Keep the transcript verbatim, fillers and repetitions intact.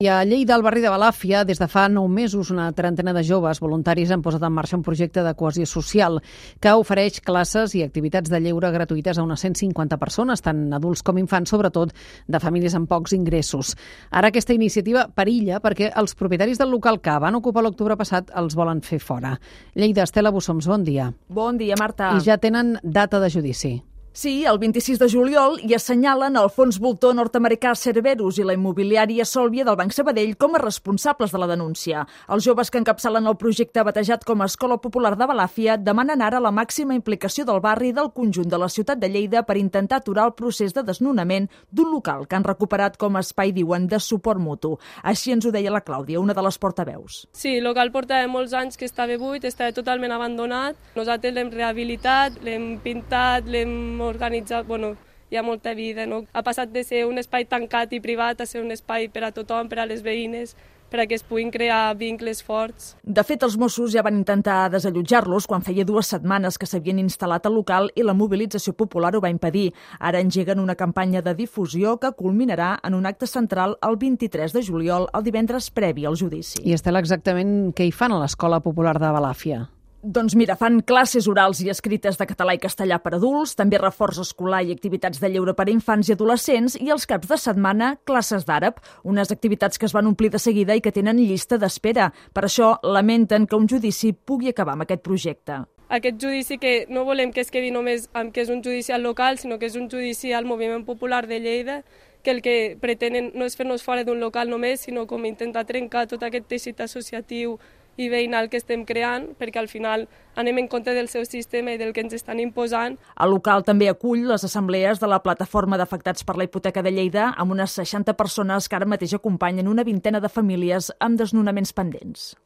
I a Lleida, al barri de Balàfia, des de fa nou mesos, una trentena de joves voluntaris han posat en marxa un projecte de cohesió social que ofereix classes i activitats de lleure gratuïtes a unes cent cinquanta persones, tant adults com infants, sobretot de famílies amb pocs ingressos. Ara aquesta iniciativa perilla perquè els propietaris del local que van ocupar l'octubre passat els volen fer fora. Lleida, Estela Bussoms, bon dia. Bon dia, Marta. I ja tenen data de judici. Sí, el vint-i-sis de juliol i assenyalen el fons voltor nord-americà Cerberus i la immobiliària Sòlvia del Banc Sabadell com a responsables de la denúncia. Els joves que encapçalen el projecte batejat com a Escola Popular de Balàfia demanen ara la màxima implicació del barri i del conjunt de la ciutat de Lleida per intentar aturar el procés de desnonament d'un local que han recuperat com a espai, diuen, de suport mutu. Així ens ho deia la Clàudia, una de les portaveus. Sí, el local portava molts anys que estava buit, estava totalment abandonat. Nosaltres l'hem rehabilitat, l'hem pintat, l'hem organitzat, bueno, hi ha molta vida, no? Ha passat de ser un espai tancat i privat a ser un espai per a tothom, per a les veïnes, per a que es puguin crear vincles forts. De fet, els Mossos ja van intentar desallotjar-los quan feia dues setmanes que s'havien instal·lat al local i la mobilització popular ho va impedir. Ara engeguen una campanya de difusió que culminarà en un acte central el vint-i-tres de juliol, el divendres previ al judici. I Estela, exactament què hi fan a l'Escola Popular de Balàfia? Doncs mira, fan classes orals i escrites de català i castellà per adults, també reforç escolar i activitats de lleure per a infants i adolescents i els caps de setmana classes d'àrab, unes activitats que es van omplir de seguida i que tenen llista d'espera. Per això lamenten que un judici pugui acabar amb aquest projecte. Aquest judici que no volem que es quedi només amb que és un judici al local, sinó que és un judici al moviment popular de Lleida, que el que pretenen no és fer-nos fora d'un local només, sinó com intentar trencar tot aquest teixit associatiu i veïnal que estem creant, perquè al final anem en contra del seu sistema i del que ens estan imposant. El local també acull les assemblees de la Plataforma d'Afectats per la Hipoteca de Lleida, amb unes seixanta persones que ara mateix acompanyen una vintena de famílies amb desnonaments pendents.